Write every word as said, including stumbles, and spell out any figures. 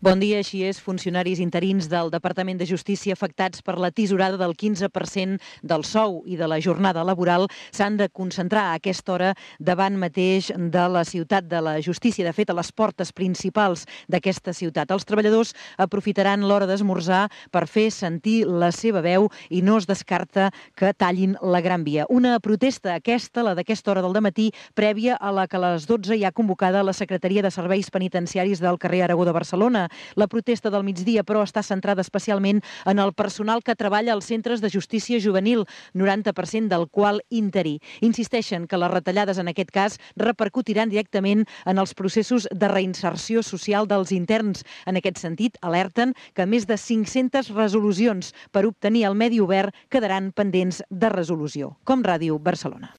Bon dia, així és. Funcionaris interins del Departament de Justícia afectats per la tisorada del quinze per cent del sou i de la jornada laboral s'han de concentrar a aquesta hora davant mateix de la ciutat de la Justícia, de fet, a les portes principals d'aquesta ciutat. Els treballadors aprofitaran l'hora d'esmorzar per fer sentir la seva veu i no es descarta que tallin la Gran Via. Una protesta aquesta, la d'aquesta hora del dematí, prèvia a la que a les dotze hi ha convocada la Secretaria de Serveis Penitenciaris del carrer Aragó de Barcelona. La protesta del migdia, però, està centrada especialment en el personal que treballa als centres de justícia juvenil, noranta per cent del qual interí. Insisteixen que les retallades, en aquest cas, repercutiran directament en els processos de reinserció social dels interns. En aquest sentit, alerten que més de cinc-centes resolucions per obtenir el medi obert quedaran pendents de resolució. Com Ràdio Barcelona.